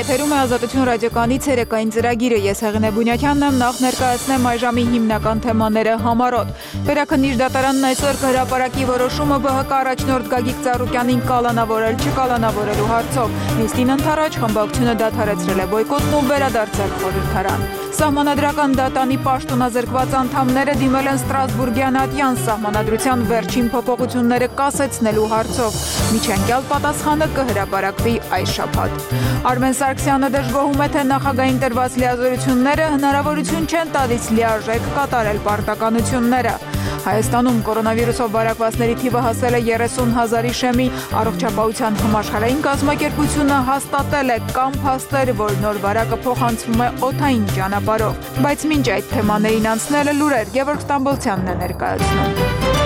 Եթերում է Ազատություն ռադիոկայանի ցերեկային ծրագիրը։ Ես Հեղինե Բունյակյանն եմ, նախ ներկայացնեմ այժմի հիմնական թեմաները համառոտ։ Վերաքննիչ դատարանն այսօր կհրապարակի որոշումը ԲՀԿ առաջնորդ Գագիկ Ծառուկյանին կալանավորել չկալանավորելու հարցով։ Նիստին ընդառաջ խմբակցությունը դադարեցրել է բոյկոտն ու վերադարձել խորհրդարան։ Սահմանադրական դատանի պաշտոնազրկված անդամները դիմել են Ստրասբուրգյան ատյան սահմանադրության վերջին փոփոխությունները կասեցնելու հարցով։ Միջանկյալ պատասխանը կհրապարակվի այս շաբաթ։ Արմեն Սարգսյանը դժգոհում է, թե նախագահային տրված լիազորությունները հնարավորություն չեն տալիս լիարժեք կատարել պարտականությունները։ Հայաստանում կորոնավիրուսով վարակվածների թիվը հասել է 30,000-ի շեմի, առողջապահության համաշխարհային կազմակերպությունը հաստատել է կամ փաստեր, որ նոր վարակը փոխանցվում է օդային ճանապարհով։ Բայց մինչ այդ թեմաներին անցնելը լուրեր Գևորգ Ստամբոլցյանն է ներկայացնում։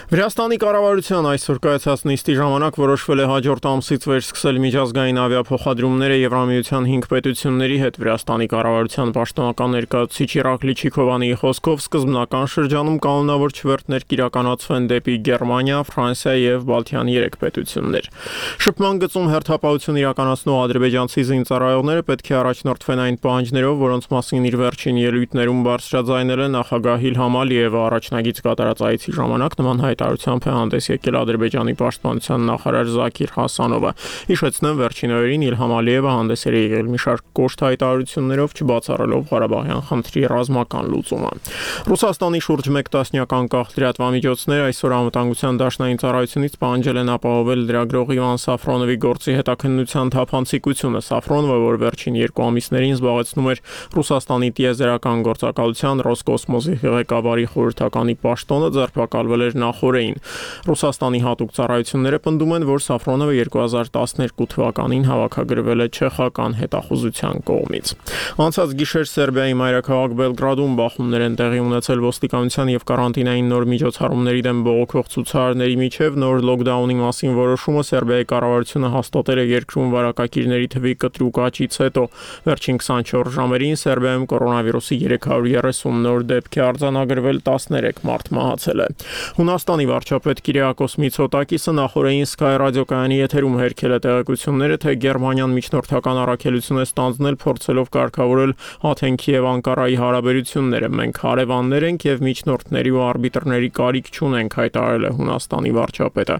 Վրաստանի կառավարության այսօր կայացած նիստի ժամանակ որոշվել է հաջորդ ամսից վերսկսել միջազգային ավիափոխադրումները Եվրամիության 5 պետությունների հետ։ Վրաստանի կառավարության պաշտոնական ներկայացուցիչ Իրակլի Չիկովանիի խոսքով սկզբնական շրջանում կանոնավոր չվերթներ կիրականացվեն դեպի Գերմանիա, Ֆրանսիա եւ Բալթյան 3 պետություններ։ Շփման գծում հերթապահություն իրականացնող ադրբեջանցի զինծառայողները պետք է առաջնորդվեն այն պահանջներով, որոնց մասին իր վերջին ելույթներում բարձրաձայնել է նախագահ Իլհամ Ալիևը առաջնագից կատարած այցի ժամանակ նման հայտարարությամբ է հանդես եկել Ադրբեջանի պաշտպանության նախարար Զաքիր Հասանովը։ Հիշեցնեմ, վերջին օրերին Իլհամ Ալիևը հանդես էր եկել մի շարք կոշտ հայտարարություններով, չբացառելով Ղարաբաղյան խնդրի ռազմական լուծումը։ Ռուսաստանի շուրջ 1 տասնյակ անկախ լրատվամիջոցներ այսօր անվտանգության դաշնային ծառայությունից պահանջել են ապահովել լրագրող Իվան Սաֆրոնովի գործի հետաքննության թափանցիկությունը։ Սաֆրոնովը, որ վերջին 2 ամիսներին զբաղեցնում էր Ռուսաստանի տիեզերական գործակալության Ռոսկոսմոսի ղեկավարի խորհրդականի պաշտոնը, ձերբակալվել էր նախորդին։ Ռուսաստանի հատուկ ծառայությունները պնդում են, որ Սաֆրոնովը 2012 թվականին հավաքագրվել է չեխական հետախուզության կողմից։ Անցած գիշեր Սերբիայի մայրաքաղաք Բելգրադում բախումներ են տեղի ունեցել ոստիկանության եւ կարանտինային նոր միջոցառումների դեմ բողոքող ցուցարարների միջև նոր լոկդաունի մասին որոշումը Սերբիայի կառավարությունը հաստատել է երկրում վարակակիրների թվի կտրուկ աճից հետո։ Վերջին 24 ժամերին Սերբիայում կորոնավիրուսի 330 նոր դեպք է արձանագրվել, 13 մարդ մահացել է։ Հունաստանի վարչապետ Կիրիակոս Միցոտակիսը նախորդին Sky ռադիոկայանի եթերում հերքել է տեղեկությունները, թե Գերմանիան միջնորդական առաքելություն է ստանձնել, փորձելով կարգավորել Աթենքի եւ Անկարայի հարաբերությունները։ Մենք հարևաններ ենք եւ միջնորդների ու արբիտրների կարիք չունենք, հայտարարել է Հունաստանի վարչապետը։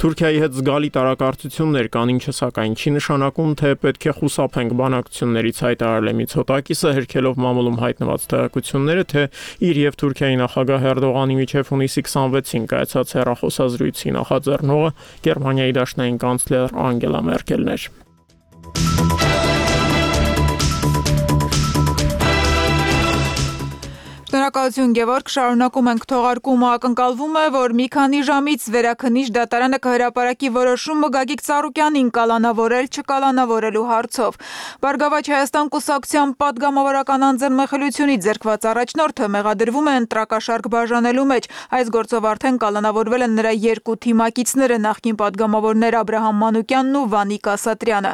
Թուրքիայի հետ զգալի տարակարծություններ կան, ինչը սակայն չի նշանակում, թե պետք է խուսափենք բանակցություններից, հայտարարել է Միցոտակիսը, հերքելով մամուլում հայտնված տեղեկությունները, թե իր եւ Թուրքիայի նախագահ Էրդողանի միջև հունիսի 26-ին կայացած հեռախոսազրույցի նախաձեռնողը Գերմանիայի դաշնային կանցլեր Անգելա Մերկելն էր։ Շնորհակալություն Գևորգ, շարունակում ենք թողարկումը, ակնկալվում է, որ մի քանի ժամից վերաքննիչ դատարանը կհրապարակի որոշումը Գագիկ Ծառուկյանին կալանավորել չկալանավորելու հարցով։ Բարգավաճ Հայաստան կուսակցության պատգամավորական անձնմխելությունից ձեռքված առաջնորդը մեղադրվում է ընտրակաշարք բաժանելու մեջ։ Այս գործով արդեն կալանավորվել են նրա 2 թիմակիցները, նախկին պատգամավորներ Աբրահամ Մանուկյանն ու Վանիկ Ասատրյանը։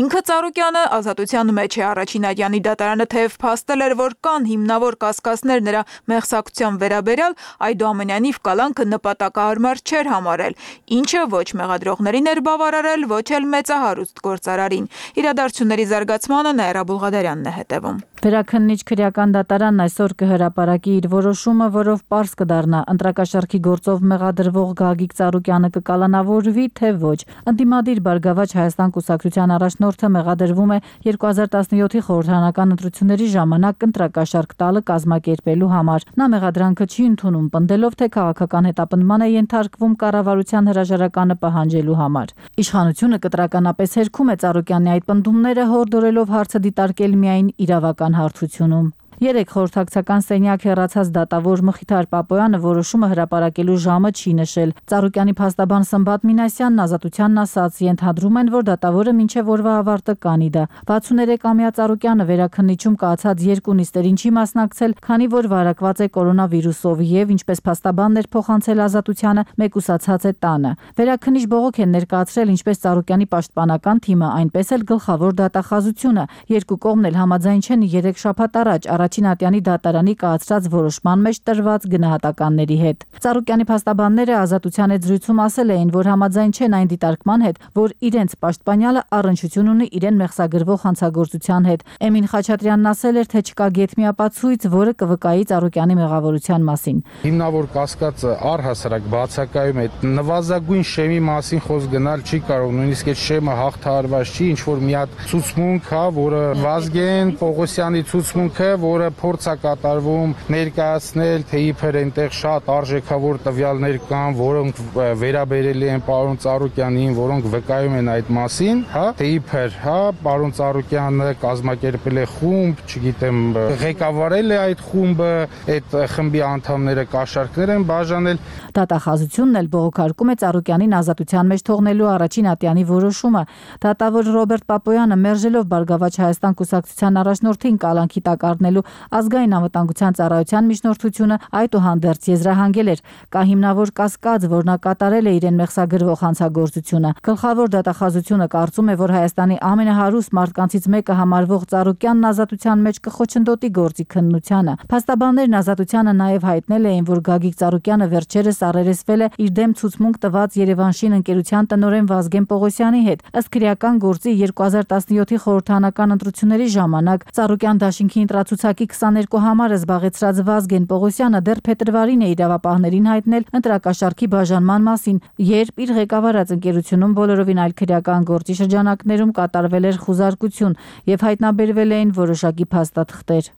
Ինքը Ծառուկյանը ազատության մեջ է։ Առաջին ատյանի դատարանը թեև փաստել էր, որ կան հիմնավոր կասկածներ նրա մեղսակցության վերաբերյալ, այդուամենայնիվ կալանքը նպատակահարմար չէր համարել, ինչը ոչ մեղադրողներին էր բավարարել, ոչ էլ մեծահարուստ գործարարին։ Իրադարձությունների զարգացմանը Նաիրա Բուլղադարյանն է հետևում։ Վերաքննիչ քրեական դատարանն այսօր կհրապարակի իր որոշումը, որով պարզ կդառնա ընտրակաշարքի գործով մեղադրվող Գագիկ Ծառուկյանը կկալանավորվի, թե ոչ։ Ընդդիմադիր Բարգավաճ Հայաստան կուսակցության առաջնորդը մեղադրվում է 2017-ի խորհրդարանական ընտրությունների ժամանակ ընտրակաշարք տալը կազմակերպելու համար։ Նա մեղադրանքը չի ընդունում, պնդելով, թե քաղաքական հետապնդման է ենթարկվում կառավարության հրաժարականը պահանջելու համար։ Իշխանությունը կտրականապես հերքում է Ծառուկյանի այդ պնդումները, հորդորելով հարցը դիտարկել միայն իրավական հարթությունում։ 3 խորհրդակցական սենյակ հեռացած դատավոր Մխիթար Պապոյանը որոշումը հրապարակելու ժամը չի նշել։ Ծառուկյանի փաստաբան Սմբատ Մինասյանն ազատությանն ասաց, ենթադրում են, որ դատավորը մինչև օրվա ավարտը կանի դա։ 63-ամյա Ծառուկյանը վերաքննիչում կայացած 2 նիստերին չի մասնակցել, քանի որ վարակված է կորոնավիրուսով եւ, ինչպես փաստաբանն էր փոխանցել ազատությանը, մեկուսացած է տանը։ Վերաքննիչ բողոք են ներկայացրել ինչպես Ծառուկյանի պաշտպանական թիմը, այնպես էլ գլխավոր դատախազությունը։ Երկու կողմն էլ համաձայն չեն 3 շաբաթ առաջ առաջին ատյանի դատարանի կայացրած որոշման մեջ տրված գնահատականների հետ։ Ծառուկյանի փաստաբանները Ազատության հետ զրույցում ասել էին, որ համաձայն չեն այն դիտարկման հետ, որ իրենց պաշտպանյալը առնչություն ունի իրեն մեղսագրվող հանցագործության հետ։ Էմին Խաչատրյանն ասել էր, թե չկա գեթմիապացույց, որը կվկայի Ծառուկյանի մեղավորության մասին։ Հիմնավոր կասկածը առհասարակ բացակայում է նվազագույն շեմի մասին խոսք գնալ չի կարող, նույնիսկ այդ շեմը հաղթահարված չի, ինչ որ մի հատ ցուցմունք հա, որը Վազգեն Պողոսյանի ցուցմունքը, որը փորձ է կատարվում ներկայացնել, թե իբր այնտեղ շատ արժեքավոր տվյալներ կան, որոնք վերաբերելի են պարոն Ծառուկյանին, որոնք վկայում են այդ մասին, հա, թե իբր, հա, պարոն Ծառուկյանը կազմակերպել է խումբ, չգիտեմ, ղեկավարել է այդ խումբը, այդ խմբի անդամները կաշառքներ են բաժանել։ Դատախազությունն էլ բողոքարկում է Ծառուկյանին ազատության մեջ թողնելու առաջին ատյանի որոշումը։ Դատավոր Ռոբերտ Պապոյանը մերժելով Բարգավաճ Հայաստան կուսակցության առաջնորդին կալանքի տակ առնելու ազգային անվտանգության ծառայության միջնորդությունը այդուհանդերձ եզրահանգել էր։ Կա հիմնավոր կասկած, որ նա կատարել է իրեն մեղսագրվող հանցագործությունը։ Գլխավոր դատախազությունը կարծում է, որ Հայաստանի ամենահարուստ մարդկանցից մեկը համարվող Ծառուկյանն ազատության մեջ կխոչընդոտի գործի քննությանը։ Փաստաբաններն ազատությանը նաև հայտնել էին, որ Գագիկ Ծառուկյանը վերջերս առերեսվել է իր դեմ ցուցմունք տված Երևանշին ընկերության տնօրեն Վազգեն Պողոսյանի հետ։ Ըստ քրեական գործի 2017-ի խորհրդարանական ընտրությունների ժամանակ Ծառուկյան դաշինքի ընտրացուցակի 22 համարը զբաղեցրած Վազգեն Պողոսյանը դեռ փետրվարին է իրավապահներին հայտնել ընտրակաշառքի բաժանման մասին, երբ իր ղեկավարած ընկերությունում բոլորովին այլ քրեական գործի շրջանակներում կատարվել էր խուզարկություն եւ հայտնաբերվել էին որոշակի փաստաթղթեր։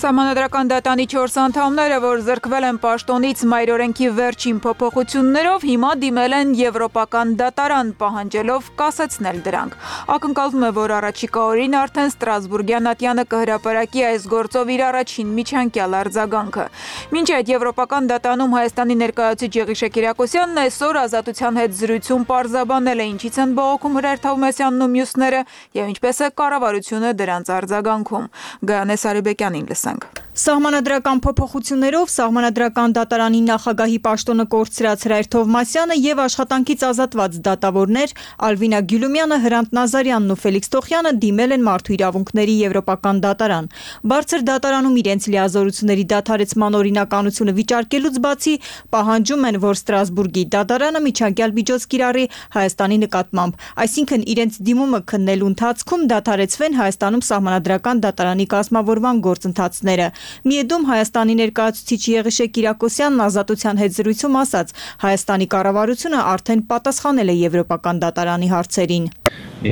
Սահմանադրական դատանի 4 անդամները, որ զրկվել են պաշտոնից մայրօրենքի վերջին փոփոխություններով, հիմա դիմել են Եվրոպական դատարան, պահանջելով կասեցնել դրանք։ Ակնկալվում է, որ առաջիկա օրին արդեն Ստրասբուրգյան ատյանը կհրապարակի այս գործով իր առաջին միջանկյալ արձագանքը։ Մինչ այդ Եվրոպական դատանում Հայաստանի ներկայացուցիչ Եղիշե Կիրակոսյանն այսօր Ազատության հետ զրույցում պարզաբանել է, ինչից են բողոքում Հրայր Թովմասյանն ու մյուսները եւ ինչպես է կառավարությունը դրանց արձագանքում։ Գայանե Սարիբեկյանին լսենք։ Սահմանադրական փոփոխություններով Սահմանադրական դատարանի նախագահի պաշտոնը կորցրած Հրայր Թովմասյանը եւ աշխատանքից ազատված դատավորներ Ալվինա Գյուլումյանը, Հրանտ Նազարյանն ու Ֆելիքս Տոխյանը դիմել են Մարդու իրավունքների Եվրոպական դատարան։ Բարձր դատարանում իրենց լիազորությունների դադարեցման օրինականությունը վիճարկելուց բացի պահանջում են, որ Ստրասբուրգի դատարանը միջանկյալ միջոց կիրառի Հայաստանի նկատմամբ, այսինքն իրենց դիմումը քննելու ընթացքում դադարեցվեն Հայաստանում Սահմանադրական դատարանի կազմավորման գործընթացները։ Միեդում Հայաստանի ներկայացուցիչ Եղիշե Կիրակոսյանն Ազատության հետ զրույցում ասաց, Հայաստանի կառավարությունը արդեն պատասխանել է Եվրոպական դատարանի հարցերին։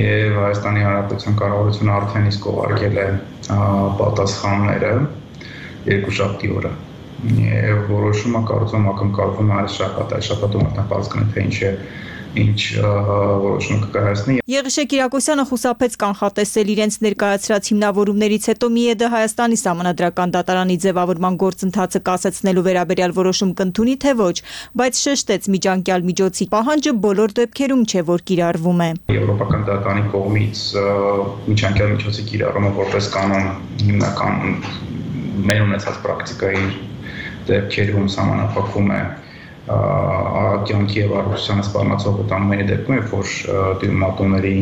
Եվ Հայաստանի Հանրապետության կառավարությունը արդեն իսկ ուղարկել է պատասխանները երկուշաբթի օրը։ Եվ որոշումը կարծում ակնկալվում է այս շաբաթում արդեն պարզ կլինի, թե ինչ որոշում կկայացնի։ Եղիշե Կիրակոսյանը խուսափեց կանխատեսել իրենց ներկայացրած հիմնավորումներից հետո ՄԻԵԴ Հայաստանի Սահմանադրական դատարանի ձևավորման գործընթացը կասեցնելու վերաբերյալ որոշում կընդունի, թե ոչ, բայց շեշտեց միջանկյալ միջոցի պահանջը բոլոր դեպքերում չէ, որ կիրառվում է։ Եվրոպական դատարանի կողմից միջանկյալ միջոցի կիրառումը որպես կանոն հիմնական մեր ունեցած պրակտիկայի դեպքերում սահմանափակվում է կյանքի եւ առողջությանը սպառնացող վտանգների դեպքում, երբ որ դիմատուների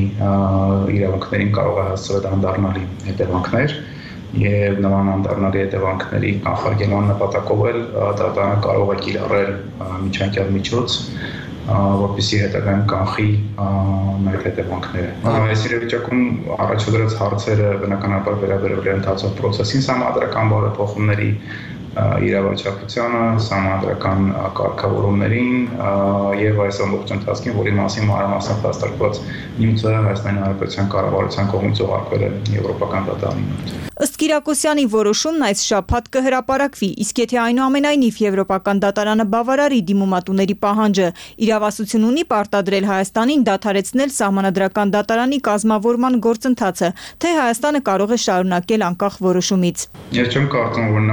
իրավունքներին կարող է հասցվել անդառնալի հետևանքներ եւ նման անդառնալի հետևանքների կանխարգելման նպատակով էլ դատարանը կարող է կիրառել միջանկյալ միջոց, որպեսզի հետագայում կանխի այդ հետևանքները։ Այս իրավիճակում առաջադրած հարցերը բնականաբար վերաբերել են ընթացող process-ին սահմանադրական բարեփոխումների իրավաչափությանը, սահմանադրական կարգավորումներին եւ այս ամբողջ ընթացքին, որի մասին մանրամասն հաստատված նյութը Հայաստանի Հանրապետության կառավարության կողմից ուղարկվել է Եվրոպական դատարանին։ Ըստ Կիրակոսյանի որոշումն այս շաբաթ կհրապարակվի, իսկ եթե այնուամենայնիվ Եվրոպական դատարանը բավարարի դիմումատուների պահանջը, իրավասություն ունի պարտադրել Հայաստանին դադարեցնել Սահմանադրական դատարանի կազմավորման գործընթացը, թե Հայաստանը կարող է շարունակել անկախ որոշումից։ Ես չեմ կարծում, որ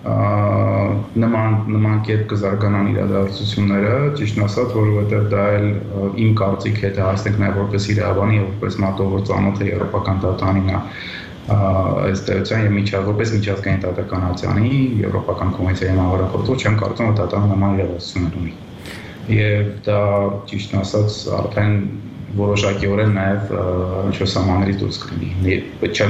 նման կերպ կզարգանան իրադարձությունները, ճիշտն ասած, որովհետև դա էլ իմ կարծիք հետ հասնենք նաև որպես իրավաբան եւ որպես մատով, որ ծանոթ է Եվրոպական դատարանին այս տերության եւ որպես միջազգային դատականացյանի Եվրոպական կոնվենցիայի համաձայնագրով չեմ կարծում, որ դատարանը նման իրադարձություններ ունի։ Եվ դա ճիշտն ասած արդեն որոշակիորեն նաև ինչ-որ սահմաններից դուրս կլինի։ Պետք է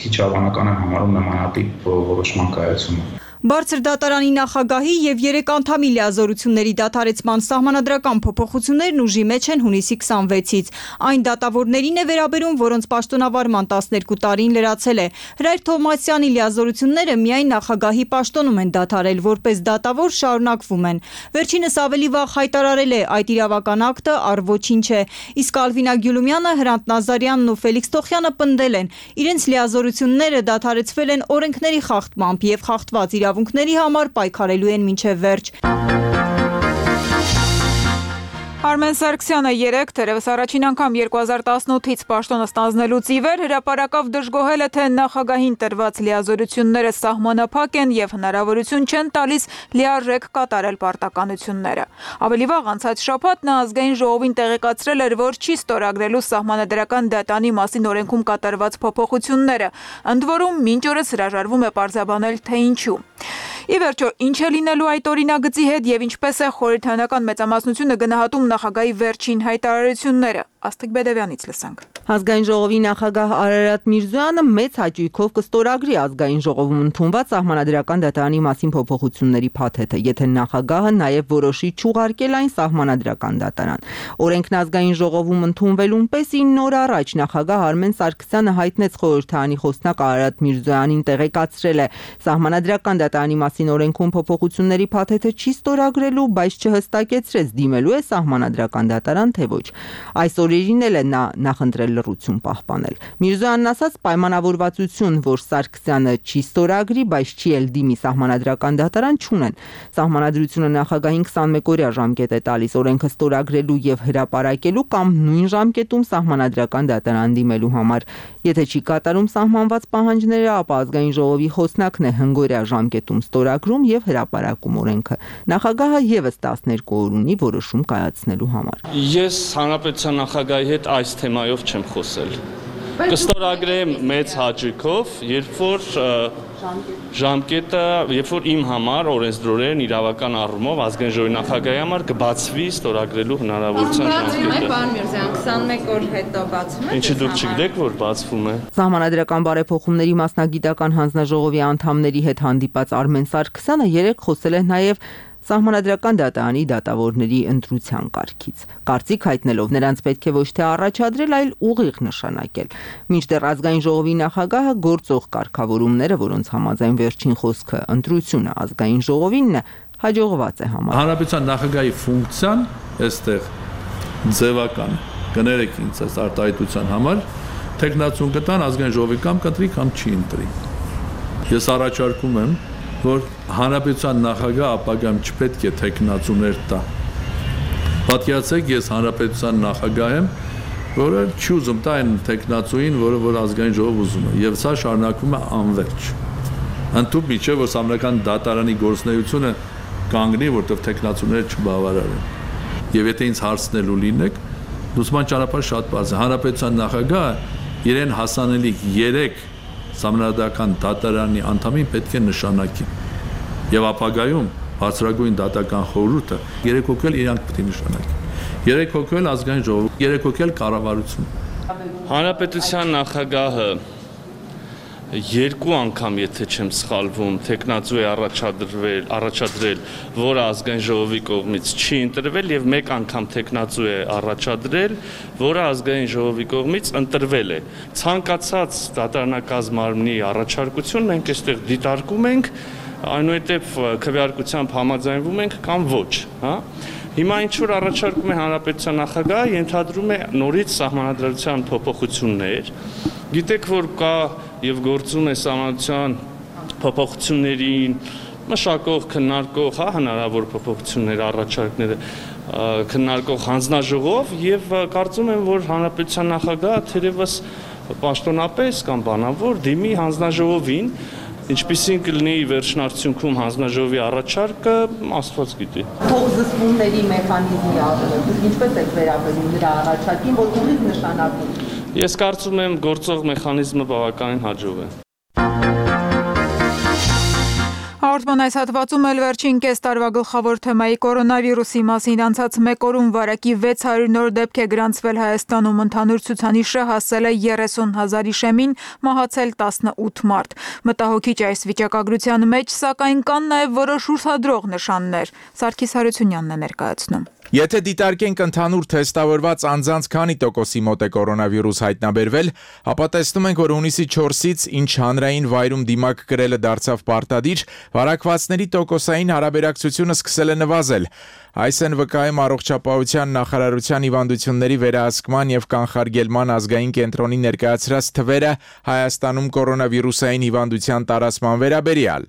քիչ հավանական եմ համարում նմանատիպ որոշման կայացումը։ Բարձր դատարանի նախագահի եւ 3 անդամի լիազորությունների դադարեցման սահմանադրական փոփոխություններն ուժի մեջ են հունիսի 26-ից։ Այն դատավորներին է վերաբերում, որոնց պաշտոնավարման 12 տարին լրացել է։ Հրայր Թովմասյանի լիազորությունները միայն նախագահի պաշտոնում են դադարել, որպես դատավոր շարունակվում են։ Վերջինս ավելի վաղ հայտարարել է, այդ իրավական ակտը առ ոչինչ է։ Իսկ Ալվինա Գյուլումյանը, Հրանտ Նազարյանն ու Ֆելիքս Թոխյանը պնդել են, իրենց լիազորությունները դադարեցվել են օրենքների խախտմամբ եւ խախտված իրավունքների համար պայքարելու են մինչև վերջ։ Արմեն Սարգսյանը 3 թերևս առաջին անգամ 2018-ից պաշտոնը ստանձնելուց ի վեր հրապարակավ դժգոհել է, թե նախագահին տրված լիազորությունները սահմանափակ են եւ հնարավորություն չեն տալիս լիարժեք կատարել պարտականությունները։ Ավելի վաղ անցած շաբաթ նա ազգային ժողովին տեղեկացրել էր, որ չի ստորագրելու սահմանադրական դատանի մասին օրենքում կատարված փոփոխությունները, ընդ որում մինչ օրս հրաժարվում է պարզաբանել, թե ինչու։ Ի վերջո, ինչ է լինելու այդ օրինագծի հետ եւ ինչպես է խորհրդանական մեծամասնությունը գնահատում նախագահի վերջին հայտարարությունները։ Աստղիկ Բեդևյանից լսանք։ Ազգային ժողովի նախագահ Արարատ Միրզոյանը մեծ հաճույքով կստորագրի ազգային ժողովում ընդունված սահմանադրական դատարանի մասին փոփոխությունների փաթեթը, եթե նախագահը նաև որոշի չուղարկել այն սահմանադրական դատարան։ Օրենքն ազգային ժողովում ընդունվելուն պես 9 օր առաջ նախագահ Արմեն Սարգսյանը հայտնեց խորհրդարանի խոսնակ Արարատ Միրզոյանին տեղեկացրել է սահմանադրական դատարանի մասին օրենքում փոփոխությունների փաթեթը չի ստորագրելու, բայց չհստակեցրեց դիմելու է սահմանադրական դատարան, թե ոչ։ Այս օրերին էլ է նա նախընտրել լռություն պահպանել։ Միրզոյանն ասաց պայմանավորվածություն, որ Սարգսյանը չի ստորագրի, բայց չի էլ դիմի սահմանադրական դատարան չունեն։ Սահմանադրությունը նախագահին 21-օրյա ժամկետ է տալիս օրենքը ստորագրելու եւ հրապարակելու կամ նույն ժամկետում սահմանադրական դատարան դիմելու համար։ Եթե չի կատարում սահմանված պահանջները, ապա ազգային ժողովի խոսնակն է հնգօրյա ժամկետում ստորագրում եւ հրապարակում օրենքը։ Նախագահը եւս 12 օր ունի որոշում կայացնելու համար։ Ես հանրապետության նախագահի հետ այս թեմայով չեմ խոսել։ Կստորագրեմ մեծ հաճույքով, երբ որ ժամկետը, երբ որ իմ համար օրենսդրորեն իրավական առումով ազգային ժողովի նախագահի համար կբացվի ստորագրելու հնարավորության ժամկետը։ Պարոն Միրզոյան, 21 օր հետո բացվում է։ Ինչի դուք չգիտեք, որ բացվում է։ Սահմանադրական բարեփոխումների մասնագիտական հանձնաժողովի անդամների հետ հանդիպած Արմեն Սարգսյանը 3 խոսել է նաև Սահմանադրական դատարանի դատավորների ընտրության կարգից։ Կարծիք հայտնելով նրանց պետք է ոչ թե առաջադրել, այլ ուղիղ նշանակել։ Մինչդեռ ազգային ժողովի նախագահը գործող կարգավորումները, որոնց համաձայն վերջին խոսքը ընտրությունը ազգային ժողովինն է, հաջողված է համարում։ Հանրապետության նախագահի ֆունկցիան այստեղ ձևական կներեք ինձ այս արտահայտության համար տեխնացուն կտան ազգային ժողովի կամ կընտրի կամ չի ընտրի։ Ես առաջարկում եմ որ հանրապետության նախագահ ապագայում չպետք է տեխնացուներ տա։ Պատկերացրեք, ես հանրապետության նախագահ եմ, որը չի ուզում տա այն տեխնացուին, որ ազգային ժողով ուզում է, եւ սա շարունակվում է անվերջ։ Ընդհանուր միջև որ սահմանադրական դատարանի գործունեությունը կանգնի, որտեղ տեխնացուները չբավարարեն։ Եվ եթե ինձ հարցնելու լինեք, լուսման ճանապարհը շատ բարձր է։ Հանրապետության նախագահը իրեն հասանելիք 3 Սահմանադրական դատարանի անդամին պետք է նշանակի։ Եվ ապագայում բարձրագույն դատական խորհուրդը 3 հոգել իրանք պետք է նշանակի։ 3 հոգել ազգային ժողով, 3 հոգել կառավարություն։ Հանրապետության նախագահը 2 անգամ, եթե չեմ սխալվում, տեխնացու է առաջադրել, որը ազգային ժողովի կողմից չի ընտրվել եւ 1 անգամ տեխնացու է առաջադրել, որը ազգային ժողովի կողմից ընտրվել է։ Ցանկացած դատարանակազմ մարմնի առաջարկություն մենք այստեղ դիտարկում ենք, այնուհետև քվեարկությամբ համաձայնվում ենք կամ ոչ, հա։ Հիմա ինչ որ առաջարկում է հանրապետության նախագահը, ենթադրում է նորից սահմանադրության փոփոխություններ։ Գիտեք, որ կա եւ գործում է սահմանադրության փոփոխություններին մշակող, քննարկող, հա, հնարավոր փոփոխություններ, առաջարկները քննարկող հանձնաժողով եւ կարծում եմ, որ հանրապետության նախագահը թերևս պաշտոնապես կամ բանավոր դիմի հանձնաժողովին, ինչպիսին կլինի վերջնարդյունքում հանձնաժողովի առաջարկը, Աստված գիտի։ Փոխզսպումների մեխանիզմի առումով ինչպես եք վերաբերում նրա առաջարկին, որ ուղիղ նշանակում։ Ես կարծում եմ գործող մեխանիզմը բավականին հաջող է։ Հաղորդման այս հատվածում էլ վերջին կես տարվա գլխավոր թեմայի կորոնավիրուսի մասին անցած մեկ օրում վարակի 600 նոր դեպք է գրանցվել Հայաստանում, ընդհանուր ցուցանիշը հասել է 30,000-ի շեմին, մահացել 18 մարդ։ Մտահոգիչ այս վիճակագրության մեջ, սակայն կան նաև որոշ ուրախադրող նշաններ։ Սարգիս Հարությունյանն է ներկայացնում։ Եթե դիտարկենք ընդհանուր թեստավորված անձանց քանի տոկոսի մոտ է կորոնավիրուս հայտնաբերվել, ապա տեսնում ենք, որ հունիսի 4-ից, ինչ հանրային վայրում դիմակ կրելը դարձավ պարտադիր, վարակվածների տոկոսային հարաբերակցությունը սկսել է նվազել։ Այս են վկայում առողջապահության նախարարության հիվանդությունների վերահսկման եւ կանխարգելման ազգային կենտրոնի ներկայացրած թվերը Հայաստանում կորոնավիրուսային հիվանդության տարածման վերաբերյալ։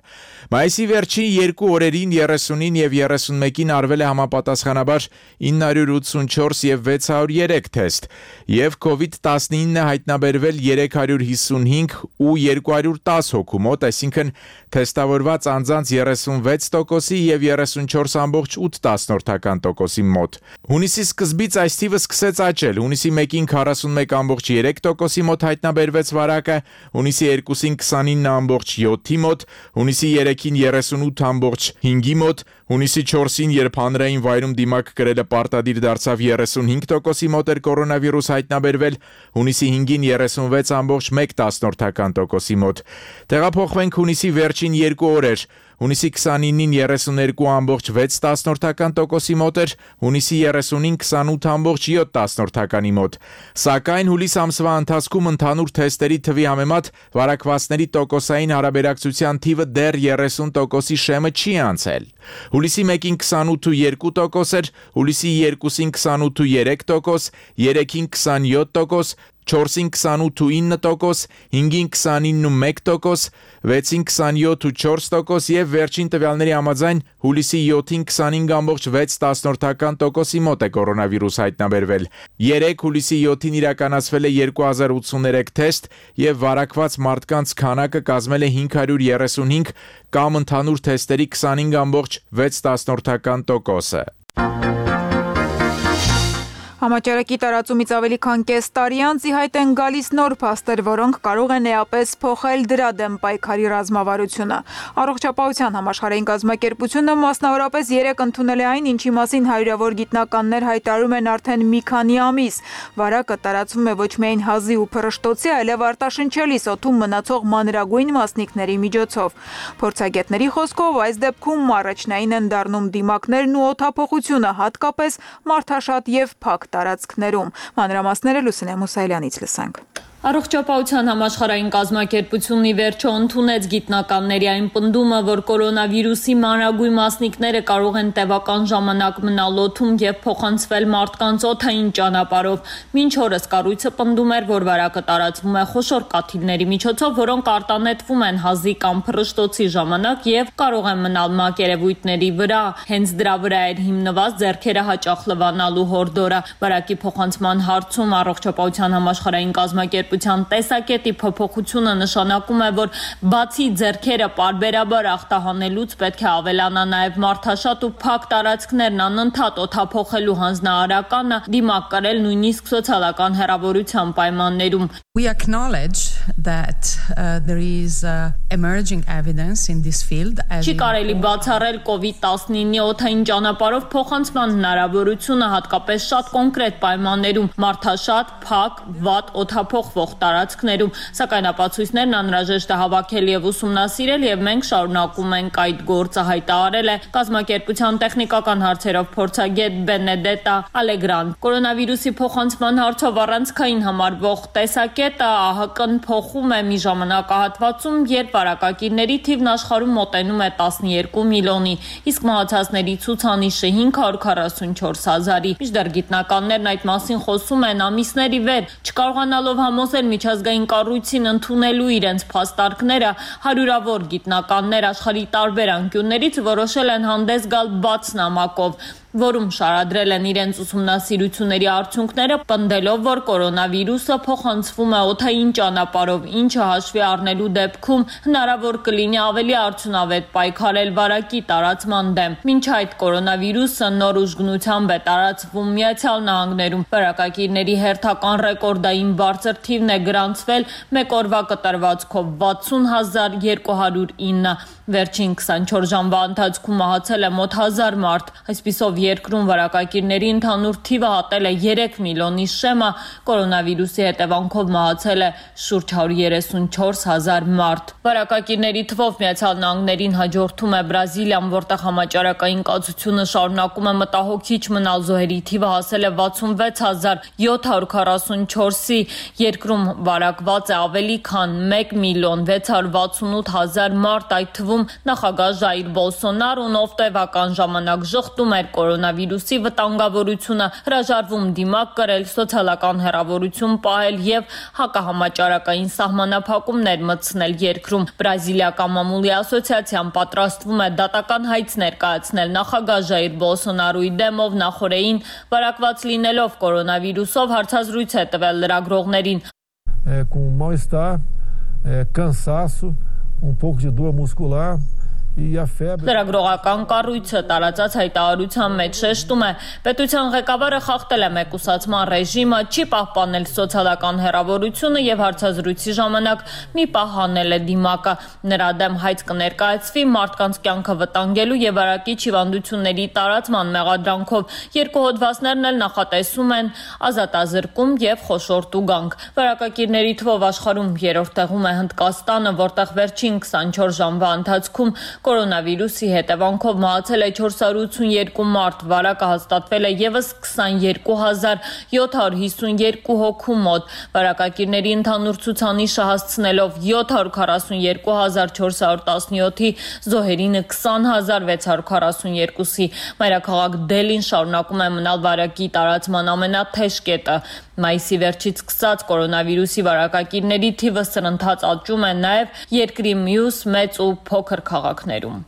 Մայիսի վերջին 2 օրերին 30-ին եւ 31-ին արվել է համապատասխանաբար 984 եւ 603 թեստ, եւ COVID-19 հայտնաբերվել 355 ու 210 հոգու մոտ, այսինքն թեստավորված անձանց 36% եւ 34.8% մոտ։ Հունիսի սկզբից այս թիվը սկսեց աճել, հունիսի 1-ին 41.3% մոտ հայտնաբերվեց վարակը, հունիսի 2-ին 29.7-ի մոտ, հունիսի 3-ին 38.5-ի մոտ, հունիսի 4-ին, երբ հանրային վայրում դիմակ կրելը պարտադիր դարձավ 35%-ի մոտ էր կորոնավիրուս հայտնաբերվել, հունիսի 5-ին 36.1%-ի մոտ։ Տեղափոխվենք հունիսի վերջին 2 օրեր, հունիսի 29-ին 32.6%-ի մոտ էր, հունիսի 30-ին 28.7%-ի մոտ։ Սակայն հուլիս ամսվա ընթացքում ընդհանուր թեստերի թվի համեմատ վարակվածների տոկոսային հարաբերակցության թիվը դեռ 30%-ի շեմը չի անցել։ Հուլիսի 1-ին 28.2% էր, հուլիսի 2-ին 28.3%, 3-ին 27%, 4-ին 28.9%, 5-ին 29.1%, 6-ին 27.4% եւ վերջին տվյալների համաձայն հուլիսի 7-ին 25.6%-ի մոտ է կորոնավիրուս հայտնաբերվել։ 3 հուլիսի 7-ին իրականացվել է 2083 թեստ եւ վարակված մարդկանց քանակը կազմել է 535 կամ ընդհանուր թեստերի 25.6%-ը։ Համաճարակի տարածումից ավելի քան կես տարի անց ի հայտ են գալիս նոր փաստեր, որոնք կարող են էապես փոխել դրա դեմ պայքարի ռազմավարությունը։ Առողջապահության համաշխարհային կազմակերպությունը մասնավորապես 3 ընդունել է այն, ինչի մասին հարյուրավոր գիտնականներ հայտարարում են արդեն մի քանի ամիս։ Վարակը տարածվում է ոչ միայն հազի ու փռշտոցի, այլև արտաշնչելի սոթում մնացող մանրագույն մասնիկների միջոցով։ Փորձագետների խոսքով այս դեպքում առաջնային են դառնում դիմակներն ու օդափոխությունը, հատկապես մարդաշատ եւ փակ տարածքներում։ Մանրամասները Լուսինե Մուսայելյանից լսենք։ Առողջապահության համաշխարհային կազմակերպությունն ի վերջո ընդունեց գիտնականների այն պնդումը, որ կորոնավիրուսի մանրագույն մասնիկները կարող են տևական ժամանակ մնալ օդում եւ փոխանցվել մարդկանց օդային ճանապարհով։ Մինչ օրս կառույցը պնդում էր, որ վարակը տարածվում է խոշոր կաթիլների միջոցով, որոնք արտանետվում են հազի կամ փռշտոցի ժամանակ եւ կարող են մնալ մակերևույթների վրա։ Հենց դրա վրա էր հիմնված ձեռքերը հաճախ լվանալու հորդորը։ Վարակի փոխանցման հարցում առողջապահության համաշխարհային կազմակերպությունը տեսակետի փոփոխությունը նշանակում է, որ բացի ձեռքերը պարբերաբար ախտահանելուց պետք է ավելանա նաև մարդաշատ ու փակ տարածքներն անընդհատ օդափոխելու հանձնարարականը, դիմակ կրել նույնիսկ սոցիալական հեռավորության պայմաններում։ We acknowledge that there is emerging evidence in this field. Չի կարելի բացառել COVID-19-ի օդային ճանապարհով փոխանցման հնարավորությունը, հատկապես շատ կոնկրետ պայմաններում, մարդաշատ, փակ, վատ օդափոխվող տարածքներում, սակայն ապացույցներն անհրաժեշտ է հավաքել եւ ուսումնասիրել, եւ մենք շարունակում ենք այդ գործը, հայտարարել է կազմակերպության տեխնիկական հարցերով փորձագետ Բենեդետա Ալեգրան։ Կորոնավիրուսի փոխանցման հարցով առանցքային համարվող տեսակետը ԱՀԿ-ն փոխում է մի ժամանակահատվածում, երբ վարակակիրների թիվն աշխարհում մոտենում է 12 միլիոնի, իսկ մահացածների ցուցանիշը 544,000-ի։ Մինչդեռ գիտնականներն այդ մասին խոսում են ամիսների վեր, չկարողանալով համոզել միջազգային կառույցին ընդունելու իրենց փաստարկները, հարյուրավոր գիտնականներ աշխարհի տարբեր անկյուններից որոշել են հանդես գալ բաց նամակով, որում շարադրել են իրենց ուսումնասիրությունների արդյունքները, պնդելով, որ կորոնավիրուսը փոխանցվում է օդային ճանապարհով, ինչը հաշվի առնելու դեպքում հնարավոր կլինի ավելի արդյունավետ պայքարել վարակի տարածման դեմ։ Մինչ այդ կորոնավիրուսը նոր ուժգնությամբ է տարածվում Միացյալ Նահանգներում։ Վարակակիրների հերթական ռեկորդային բարձր թիվն է գրանցվել մեկ օրվա կտրվածքով 60,209։ Վերջին 24 ժամվա ընթացքում մահացել է մոտ 1000 մարդ։ Այսպիսով երկրում վարակակիրների ընդհանուր թիվը հատել է 3 միլիոնի շեմը, կորոնավիրուսի հետևանքով մահացել է շուրջ 134,000 մարդ։ Վարակակիրների թվով Միացյալ Նահանգներին հաջորդում է Բրազիլիան, որտեղ համաճարակային կացությունը շարունակում է մտահոգիչ մնալ, զոհերի թիվը հասել է 66,744-ի, երկրում վարակված է ավելի քան 1,668,000 մարդ, այդ թվում նախագահ Ժայր Բոլսոնարոն, ով տևական ժամանակ ժխտում էր կորոնավիրուսի վտանգավորությունը, հրաժարվում դիմակ կրել, սոցիալական հեռավորություն պահել եւ հակահամաճարակային սահմանափակումներ մտցնել երկրում։ Բրազիլիական մամուլի ասոցիացիան պատրաստվում է դատական հայց ներկայացնել նախագահ Ժայր Բոլսոնարոյի դեմով, նախորդին վարակված լինելով կորոնավիրուսով հարցազրույց է տվել լրագրողներին։ Com mal-estar, cansaço, pouco de dor muscular e a febre. Լրագրողական կառույցը տարածած հայտարարության մեջ շեշտում է, պետության ղեկավարը խախտել է մեկուսացման ռեժիմը, չի պահպանել սոցիալական հեռավորությունը եւ հարցազրույցի ժամանակ մի պահ հանել է դիմակը։ Նրա դեմ հայց կներկայացվի մարդկանց կյանքը վտանգելու եւ վարակիչ հիվանդությունների տարածման մեղադրանքով։ Երկու հոդվածներն էլ նախատեսում են ազատազրկում եւ խոշոր տուգանք։ Վարակակիրների թվով աշխարհում երրորդ տեղում է Հնդկաստանը, որտեղ վերջին 24 ժամվա ընթացքում կորոնավիրուսի հետևանքով մահացել է 482 մարդ, վարակը հաստատվել է ևս 22,752 հոգու մոտ, վարակակիրների ընդհանուր ցուցանիշը հասցնելով 742,417-ի, զոհերինը 20,642-ի։ Մայրաքաղաք Դելին շարունակում է մնալ վարակի տարածման ամենաթեժ կետը։ Մայիսի վերջից սկսած կորոնավիրուսի վարակակիրների թիվը սրընթաց աճում է նաև երկրի մյուս մեծ ու փոքր քաղաքներում։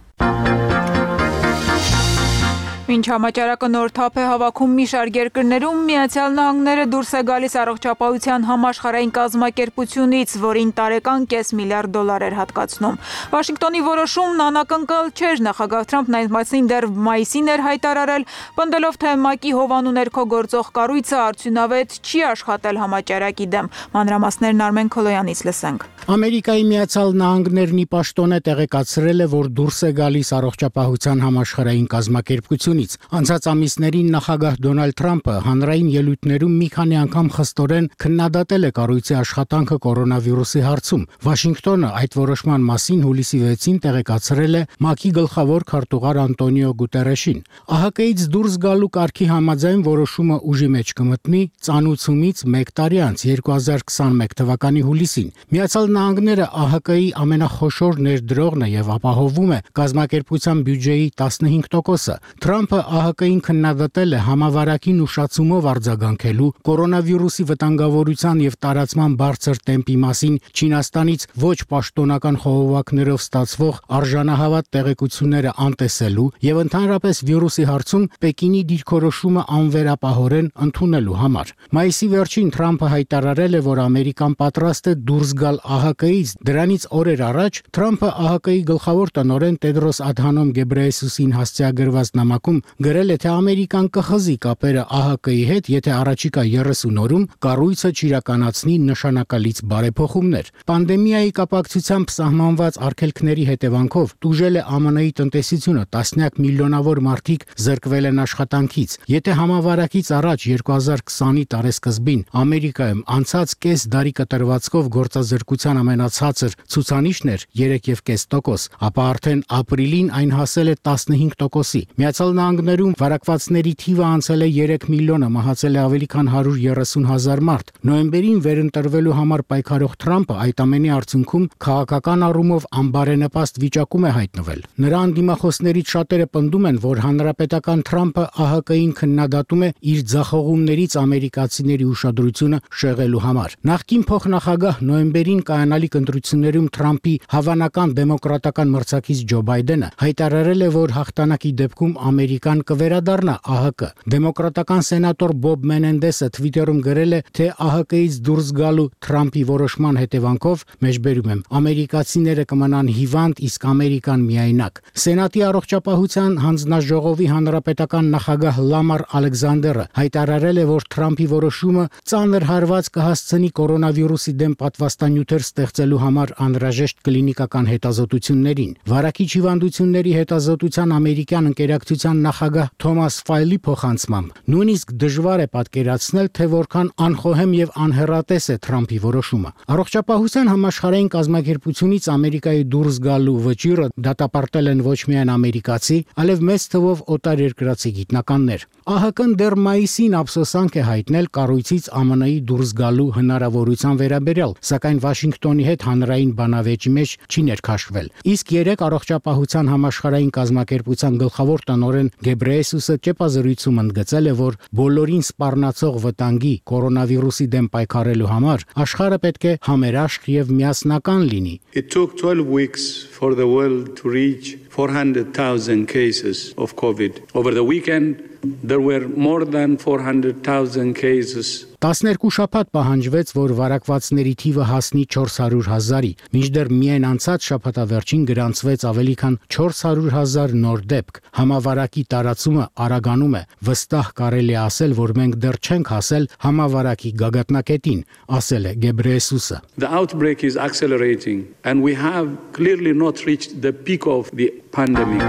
Մինչ համաճարակը նոր թափ է հավաքում մի շարք երկրներում, Միացյալ Նահանգները դուրս է գալիս առողջապահության համաշխարհային կազմակերպությունից, որին տարեկան $500 միլիարդ էր հատկացնում։ Վաշինգտոնի որոշումն անակնկալ չէր, նախագահ Թրամփն այդ մասին դեռ մայիսին էր հայտարարել, պնդելով, թե ՄԱԿ-ի հովանու ներքո գործող կառույցը արդյունավետ չի աշխատել համաճարակի դեմ։ Մանրամասներն Արմեն Քոլոյանից լսենք։ Ամերիկայի Միացյալ Նահանգներն ի պաշտոն է տեղեկացրել է, որ դուրս է գալիս առողջապահության համաշխարհային կազմակերպություն։ Անցած ամիսներին նախագահ Դոնալդ Թրամփը հանրային ելույթներում մի քանի անգամ խստորեն քննադատել է կառույցի աշխատանքը կորոնավիրուսի հարցում։ Վաշինգտոնը այդ որոշման մասին հուլիսի 6-ին տեղեկացրել է ՄԱԿ-ի գլխավոր քարտուղար Անտոնիո Գուտերեշին։ ԱՀԿ-ից դուրս գալու կարգի համաձայն որոշումը ուժի մեջ կմտնի ծանուցումից 1 տարի անց 2021 թվականի հուլիսին։ Միացյալ Նահանգները ԱՀԿ-ի ամենախոշոր ներդրողն է եւ ապահովում է կազմակերպության բյուջեի 15%-ը։ Թրամփը ԱՀԿ-ին քննադատել է համավարակին ուշացումով արձագանքելու, կորոնավիրուսի վտանգավորության եւ տարածման բարձր տեմպի մասին Չինաստանից ոչ պաշտոնական խողովակներով ստացվող արժանահավատ տեղեկությունները անտեսելու եւ ընդհանրապես վիրուսի հարցում Պեկինի դիրքորոշումը անվերապահորեն ընդունելու համար։ Մայիսի վերջին Թրամփը հայտարարել է, որ Ամերիկան պատրաստ է դուրս գալ ԱՀԿ-ից։ Դրանից օրեր առաջ Թրամփը ԱՀԿ-ի գլխավոր տնօրեն Տեդրոս Ադհանոմ Գեբրեյեսուսին հասցեագրված նամակում գրել է, թե Ամերիկան կխզի կապերը ԱՀԿ-ի հետ, եթե առաջիկա 30 օրում կառույցը չիրականացնի նշանակալից բարեփոխումներ։ Պանդեմիայի կապակցությամբ սահմանված արգելքների հետևանքով տուժել է ԱՄՆ-ի տնտեսությունը, տասնյակ միլիոնավոր մարդիկ զրկվել են աշխատանքից։ Եթե համավարակից առաջ 2020-ի տարեսկզբին Ամերիկայում անցած կես դարի կտրվածքով գործազրկության ամենացածր ցուցանիշն էր 3.5%, ապա արդեն ապրիլին այն հասել է 15%-ի։ Միացյալ Նահանգներում վարակվածների թիվը անցել է 3 միլիոնը, մահացել է ավելի քան 130,000 մարդ։ Նոյեմբերին վերընտրվելու համար պայքարող Թրամփը այդ ամենի արդյունքում քաղաքական առումով անբարենպաստ վիճակում է հայտնվել։ Նրա անդիմախոսներից շատերը պնդում են, որ հանրապետական Թրամփը ԱՀԿ-ին քննադատում է իր ձախողումներից ամերիկացիների ուշադրությունը շեղելու համար։ Նախկին փոխնախագահ նոյեմբերին կայանալիք ընտրություններում Թրամփի հավանական դեմոկրատական մրցակից Ջո Բայդենը հայտարարել է, որ հաղթանակի դեպքում Ամերիկան կվերադառնա ԱՀԿ։ Դեմոկրատական սենատոր Բոբ Մենենդեսը Twitter-ում գրել է, թե ԱՀԿ-ից դուրս գալու Թրամփի որոշման հետևանքով, մեջբերում եմ, ամերիկացիները կմնան հիվանդ, իսկ Ամերիկան միայնակ։ Սենատի առողջապահության հանձնաժողովի հանրապետական նախագահ Լամար Ալեքսանդերը հայտարարել է, որ Թրամփի որոշումը ծանր հարված կհասցնի կորոնավիրուսի դեմ պատվաստանյութեր ստեղծելու համար անհրաժեշտ կլինիկական հետազոտություններին։ Վարակիչ հիվանդությունների հետազոտության ամերիկյան ընկերակցության նախագահ Թոմաս Ֆայլի փոխանցմամբ նույնիսկ դժվար է պատկերացնել, թե որքան անխոհեմ եւ անհեռատես է Թրամփի որոշումը։ Առողջապահության համաշխարհային կազմակերպությունից Ամերիկայի դուրս գալու վճիռը դատապարտել են ոչ միայն ամերիկացի, այլև մեծ թվով օտարերկրացի գիտնականներ։ ԱՀԿ-ն դեռ մայիսին ափսոսանք է հայտնել կառույցից ԱՄՆ-ի դուրս գալու հնարավորության վերաբերյալ, սակայն Վաշինգտոնի հետ հանրային բանավեճի մեջ չի ներքաշվել։ Իսկ երեք առողջապահության համաշխարհային կազմակերպության գլխավոր տնօրեն Գեբրեյեսուսը ճեպազրույցում ընդգծել է, որ բոլորին սպառնացող վտանգի կորոնավիրուսի դեմ պայքարելու համար աշխարհը պետք է համերաշխ եւ միասնական լինի։ It took 12 weeks for the world to reach 400,000 cases of COVID. Over the weekend, there were more than 400,000 cases. 12 շաբաթ պահանջվեց, որ վարակվածների թիվը հասնի 400,000-ի, մինչդեռ միայն անցած շաբաթավերջին գրանցվեց ավելի քան 400,000 նոր դեպք։ Համավարակի տարածումը արագանում է, վստահ կարելի է ասել, որ մենք դեռ չենք հասել համավարակի գագաթնակետին, ասել է Գեբրեյեսուսը։ The outbreak is accelerating and we have clearly not reached the peak of the pandemic.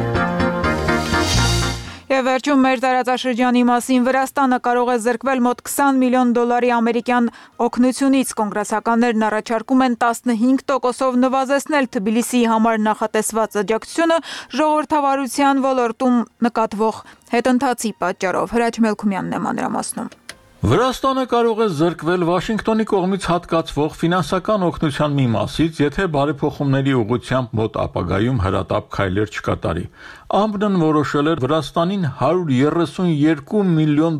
Եվ վերջում մեր տարածաշրջանի մասին Վրաստանը կարող է զրկվել մոտ $20 միլիոն ամերիկյան օգնությունից։ Կոնգրեսականներն առաջարկում են 15%-ով նվազեցնել Թբիլիսիի համար նախատեսված աջակցությունը ժողովրդավարության ոլորտում նկատվող հետընթացի պատճառով։ Հրաչ Մելքումյանն է մանրամասնում։ Վրաստանը կարող է զրկվել Վաշինգտոնի կողմից հատկացվող ֆինանսական օգնության մի մասից, եթե բարեփոխումների ուղղությամբ մոտ ապագայում հրատապ քայլեր չկատարի։ ԱՄՊՆ-ն որոշել էր Վրաստանին $132 միլիոն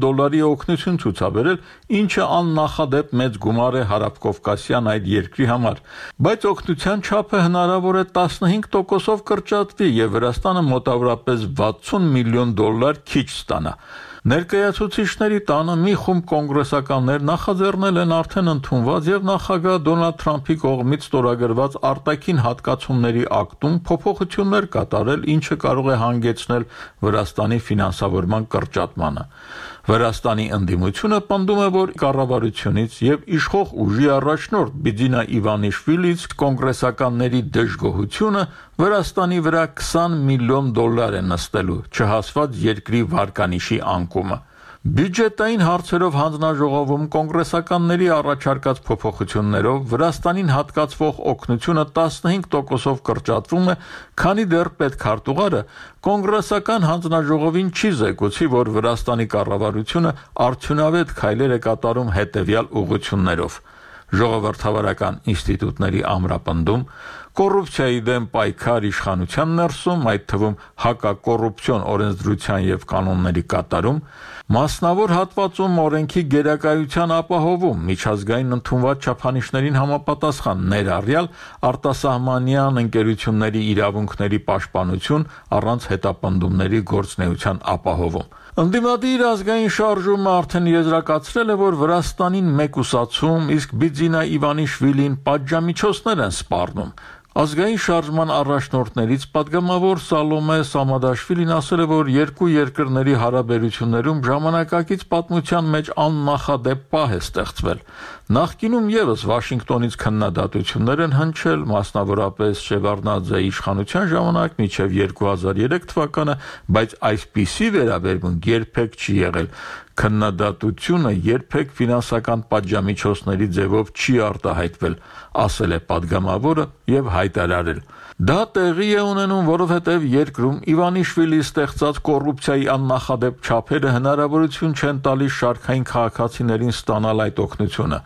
օգնություն ցուցաբերել, ինչը աննախադեպ մեծ գումար է հարավկովկասյան այդ երկրի համար, բայց օգնության չափը հնարավոր է 15%-ով կրճատվի եւ Վրաստանը մոտավորապես $60 միլիոն քիչ ստանա։ Ներկայացուցիչների տանը մի խումբ կոնգրեսականներ նախաձեռնել են արդեն ընդունված եւ նախագահ Դոնալդ Թրամփի կողմից ստորագրված արտաքին հատկացումների ակտում փոփոխություններ կատարել, ինչը կարող է հանգեցնել Վրաստանի ֆինանսավորման կրճատմանը։ Վրաստանի ընդդիմությունը պնդում է, որ կառավարությունից եւ իշխող ուժի առաջնորդ Բիձինա Իվանիշվիլից կոնգրեսականների դժգոհությունը Վրաստանի վրա $20 միլիոն է նստելու, չհասված երկրի վարկանիշի անկումը։ Բյուջետային հարցերով հանձնաժողովում կոնգրեսականների առաջարկած փոփոխություններով Վրաստանին հատկացվող օգնությունը 15%-ով կրճատվում է, քանի դեռ պետքարտուղարը կոնգրեսական հանձնաժողովին չի զեկուցի, որ Վրաստանի կառավարությունը արդյունավետ քայլեր է կատարում հետևյալ ուղղություններով. Ժողովրդավարական ինստիտուտների ամրապնդում, կոռուպցիայի դեմ պայքար իշխանության ներսում, այդ թվում հակակոռուպցիոն օրենսդրության եւ կանոնների կատարում, մասնավոր հատվածում օրենքի գերակայության ապահովում, միջազգային ընդունված չափանիշներին համապատասխան ներառյալ արտասահմանյան ընկերությունների իրավունքների պաշտպանություն առանց հետապնդումների գործունեության ապահովում։ Ընդդիմադիր ազգային շարժումը արդեն եզրակացրել է, որ Վրաստանին մեկուսացում, իսկ Բիձինա Իվանիշվիլին պատժամիջոցներ են սպառնում։ Ազգային շարժման առաջնորդներից պատգամավոր Սալոմե Սամադաշվիլին ասել է, որ երկու երկրների հարաբերություններում ժամանակակից պատմության մեջ աննախադեպ պահ է ստեղծվել։ Նախկինում եւս Վաշինգտոնից քննադատություններ են հնչել, մասնավորապես Շևարդնաձեի իշխանության ժամանակ մինչև 2003 թվականը, բայց այսպիսի վերաբերմունք երբեք չի եղել։ Քննադատությունը երբեք ֆինանսական պատժամիջոցների ձևով չի արտահայտվել, ասել է պատգամավորը եւ հայտարարել. Դա տեղի է ունենում, որովհետև երկրում Իվանիշվիլի ստեղծած կոռուպցիայի աննախադեպ չափերը հնարավորություն չեն տալիս շարքային քաղաքացիներին ստանալ այդ օգնությունը։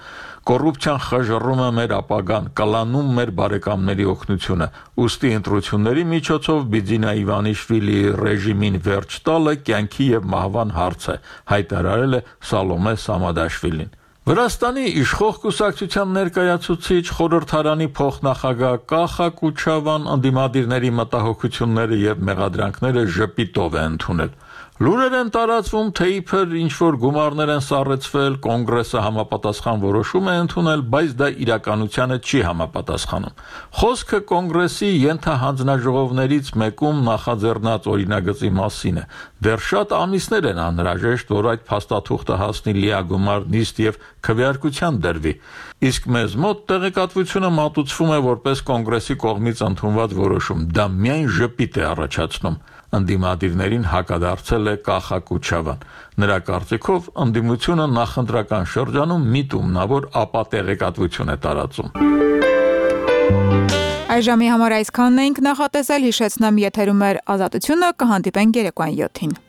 Կոռուպցիան խժռում է մեր ապագան, կլանում մեր բարեկամների օգնությունը։ Ուստի ընտրությունների միջոցով Բիձինա Իվանիշվիլի ռեժիմին վերջ տալը կյանքի եւ մահվան հարց է, հայտարարել է Սալոմե Սամադաշվիլին։ Վրաստանի իշխող կուսակցության ներկայացուցիչ խորհրդարանի փոխնախագահ Կախա Կուչավան ընդդիմադիրների մտահոգությունները եւ մեղադրանքները ժպիտով է ընդունել։ Լուրեր են տարածվում, թե իբր ինչ-որ գումարներ են սառեցվել, կոնգրեսը համապատասխան որոշում է ընդունել, բայց դա իրականությանը չի համապատասխանում։ Խոսքը կոնգրեսի ենթահանձնաժողովներից մեկում նախաձեռնած օրինագծի մասին է։ Դեռ շատ ամիսներ են անհրաժեշտ, որ այդ փաստաթուղթը հասնի լիագումար նիստ եւ քվեարկության դրվի։ Իսկ մեզ մոտ տեղեկատվությունը մատուցվում է որպես կոնգրեսի կողմից ընդունված որոշում։ Դա միայն ժպիտ է առաջացնում։ Ընդդիմադիրներին հակադարձել է Կախակուչավան։ Նրա կարծիքով ընդդիմությունը նախընտրական շրջանում միտումնավոր ապատեղեկատվություն է տարածում։ Այժմի համար այսքանն էինք նախատեսել, հիշեցնեմ եթերում էր Ազատությունը, կհանդիպենք երեկոյան 7-ին։